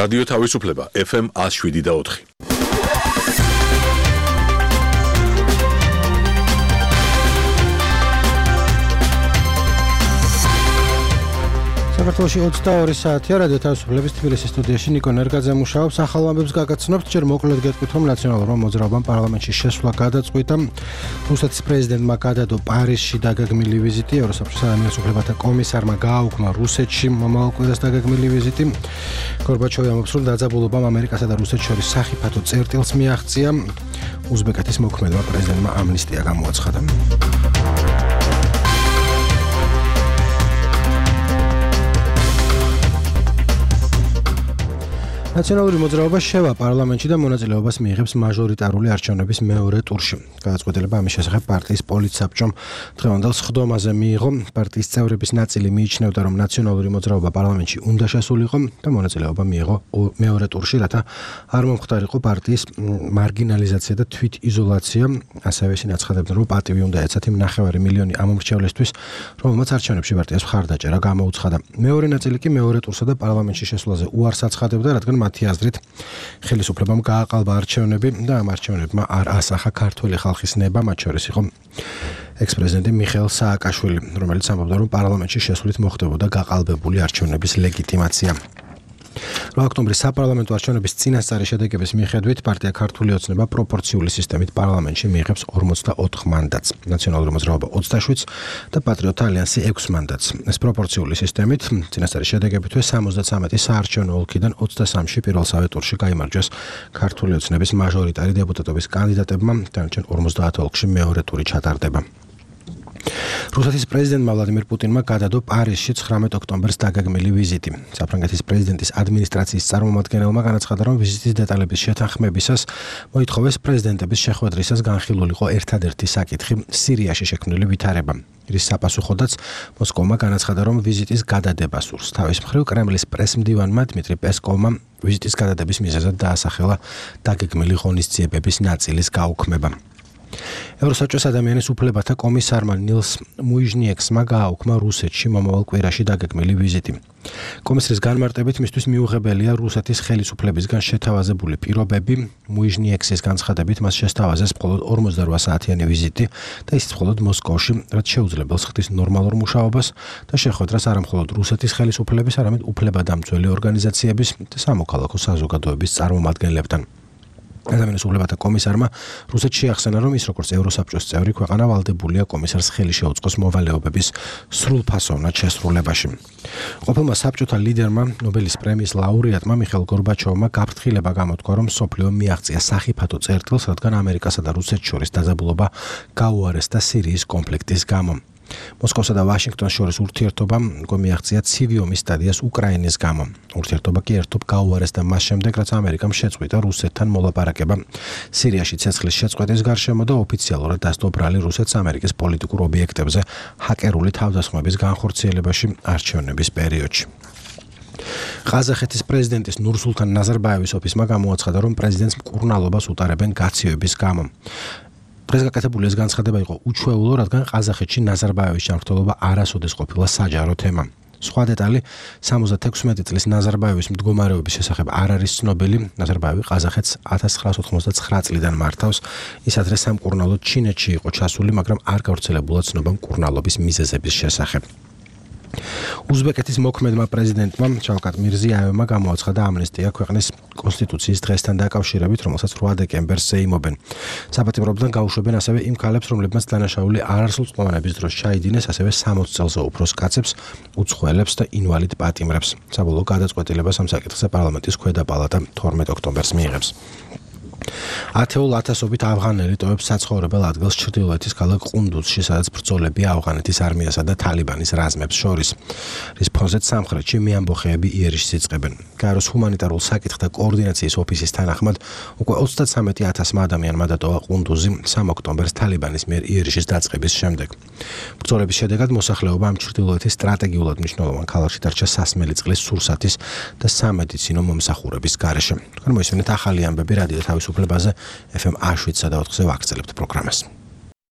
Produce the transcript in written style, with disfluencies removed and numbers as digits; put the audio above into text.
რადიო თავისუფლება FM 107.4. საქართველოში 22 საათია რადიო თავისუფლების თბილისის სტუდიაში ნიკო ნერგაძე მუშაობს. ახალ ამბებს გაგაცნობთ, ჯერ მოკლედ გეტყვით, რომ ნაციონალურმა მოძრაობამ პარლამენტში შესვლა გადაწყვიტა. რუსეთის პრეზიდენტმა გადადო პარიზში დაგეგმილი ვიზიტი, ევროსაბჭოს ადამიანის უფლებათა კომისარმა გააუქმა რუსეთში მომავალ კვირას დაგეგმილი ვიზიტი. გორბაჩოვი ამბობს, რომ დაძაბულობამ ამერიკასა და რუსეთს შორის სახიფათო წერტილს მიაღწია. უზბეკეთის მოქმედმა პრეზიდენტმა ამნისტია გამოაცხადა. ნაციონალური მოძრაობა შევა პარლამენტში და მონაწილეობას მიიღებს მაჟორიტარული არჩევნების მეორე ტურში. გადაწყვეტილება ამის შესახებ პარტიის პოლიტსაბჭომ დღევანდელ სხდომაზე მიიღო. პარტიის წევრების ნაწილი მიიჩნევდა, რომ ნაციონალური მოძრაობა პარლამენტში უნდა შესულიყო და მონაწილეობა მიიღო მეორე ტურში, რათა არ მომხდარიყო პარტიის მარგინალიზაცია და თვითიზოლაცია. ასევე ისინი აცხადებდნენ, რომ პატივი უნდა ეცათ იმ 9 მილიონი ამომრჩევლისთვის, რომელმაც არჩევნებში პარტიას მხარდაჭერა გამოუცხადა. მეორე ნაწილი კი მეორე ტურსა და პარლამენტში შესვლაზე უარს აცხადებდა, რადგან მათი აზრით ხელისუფლებამ გააყალბა არჩევნები და ამ არჩევნებმა არ ასახა ქართული ხალხის ნება, მათ შორის იყო ექს-პრეზიდენტი მიხეილ სააკაშვილი, რომელიც ამბობდა, რომ პარლამენტში შესვლით მოხდებოდა გაყალბებული არჩევნების ლეგიტიმაცია. 8 ოქტომბრის საპარლამენტო არჩევნების წინასწარი შედეგების მიხედვით პარტია ქართული ოცნება პროპორციული სისტემით პარლამენტში მიიღებს 44 მანდატს, ნაციონალური მოძრაობა 27 და პატრიოტთა ალიანსი 6 მანდატს. ეს პროპორციული სისტემით წინასწარი შედეგებითვე 73 საარჩევნო ოლქიდან 23-ში პირველსავე ტურში გაიმარჯვეს ქართული ოცნების მაჟორიტარი დეპუტატობის კანდიდატებმა, დანარჩენ 50 ოლქში მეორე ტური ჩატარდება. რუსეთის პრეზიდენტმა ვლადიმირ პუტინმა გადადო პარიზში 19 ოქტომბერს დაგეგმილი ვიზიტი. საფრანგეთის პრეზიდენტის ადმინისტრაციის წარმომადგენელმა განაცხადა, რომ ვიზიტის დეტალების შეთანხმებისას მოითხოვეს პრეზიდენტების შეხვედრისას განხილულიყო ერთადერთი საკითხი სირიაში შექმნილი ვითარება. რის საპასუხოდაც მოსკოვმა განაცხადა, რომ ვიზიტის გადადება სურს. თავის მხრივ კრემლის პრესმდივანმა დმიტრი პესკოვმა ვიზიტის გადადების მიზეზად დაასახელა დაგეგმილი ღონისძიებების ნაწილის გაუქმება. ევროსაბჭოს ადამიანის უფლებათა კომისარმა ნილს მუიჟნიექსმა გააუქმა რუსეთში მომავალ კვირაში დაგეგმილი ვიზიტი. კომისრის განმარტებით მისთვის მიუღებელია რუსეთის ხელისუფლებისგან შეთავაზებული პირობები. მუიჟნიექსის განცხადებით მას შესთავაზეს მხოლოდ 48 საათიანი ვიზიტი და ისიც მხოლოდ მოსკოვში, რაც შეუძლებელს ხდის ნორმალურ მუშაობას და შეხვედრას არა მხოლოდ რუსეთის ხელისუფლების, არამედ უფლებადამცველი ორგანიზაციების და სამოქალაქო საზოგადოების წარმომადგენლებთან. ადამიანის უფლებათა კომისარმა რუსეთში ახსენა, რომ ის როგორც ევროსაბჭოს წევრი ქვეყანა ვალდებულია კომისარს ხელი შეუწყოს მოვალეობების სრულფასოვნად შესრულებაში. ყოფილმა საბჭოთა ლიდერმა, ნობელის პრემიის ლაურეატმა მიხეილ გორბაჩოვმა გაფრთხილება გამოთქვა, რომ მსოფლიო მიაღწია სახიფათო წერტილს, რადგან ამერიკასა და რუსეთს შორის დაძაბულობა გაუარესდა სირიის კონფლიქტის გამო. მოსკოვსა და ვაშინგტონს შორის ურთიერთობა მიაღწია ცივი ომის სტადიას უკრაინის გამო. ურთიერთობა კი ერთობ გაუარესდა მას შემდეგ, რაც ამერიკამ შეწყვიტა რუსეთთან მოლაპარაკება სირიაში ცეცხლის შეწყვეტის გარშემო და ოფიციალურად დასდო ბრალი რუსეთს ამერიკის პოლიტიკურ ობიექტებზე ჰაკერული თავდასხმების განხორციელებაში არჩევნების პერიოდში. ყაზახეთის პრეზიდენტის ნურსულთან ნაზარბაევის ოფისმა გამოაცხადა, რომ პრეზიდენტს მკურნალობას უტარებენ გაციოების გამო. დღეს გაკეთებული ეს განცხადება იყო უჩვეულო, რადგან ყაზახეთში ნაზარბაევის ჯანმრთელობა არასოდეს ყოფილა საჯარო თემა. სხვა დეტალი 76 წლის ნაზარბაევის მდგომარეობის შესახებ არ არის ცნობილი. ნაზარბაევი ყაზახეთს 1999 წლიდან მართავს. ის ადრე სამკურნალოდ ჩინეთში იყო ჩასული, მაგრამ არ გავრცელებულა ცნობა მკურნალობის მიზეზების შესახებ. უზბეკეთის მოქმედმა პრეზიდენტმა შავკატ მირზიაევმა გამოაცხადა ამნისტია ქვეყნის კონსტიტუციის დღესთან დაკავშირებით, რომელსაც 8 დეკემბერს ეიმობენ. საპატიმრობიდან გაუშვებენ ასევე იმ ქალებს, რომლებმაც დანაშაული არასრულ წყლიანობის დროს ჩაიდინეს, ასევე 60 წელზე უფროს კაცებს, უცხოელებს და ინვალიდ პატიმრებს. საბოლოო გადაწყვეტილებას ამ საკითხზე პარლამენტის ქვედა პალატა 12 ოქტომბერს მიიღებს. ათეულ ათასობით ავღანელი ტოვებს საცხოვრებელ ადგილს ჩრდილოეთის ქალაქ ყუნდუზში, სადაც ბრძოლებია ავღანეთის არმიასა და თალიბანის რაზმებს შორის. რის ფონზეც სამხრეთში მეამბოხეები იერიშს იწყებენ. გაეროს ჰუმანიტარულ საკითხთა კოორდინაციის ოფისის თანახმად უკვე 33000 ადამიანმა დატოვა ყუნდუზი 3 ოქტომბერს თალიბანის მიერ იერიშის დაწყების შემდეგ. ბრძოლების შედეგად მოსახლეობა ამ ჩრდილოეთის სტრატეგიულად მნიშვნელოვან ქალაქში დარჩა სასმელი წყლის სურსათის და სამედიცინო მომსახურების გარეშე. მოისმინეთ ახალი ამბები რადიო თავისუფლებაზე FM 107.4-ზე ვაგრძელებთ პროგრამას.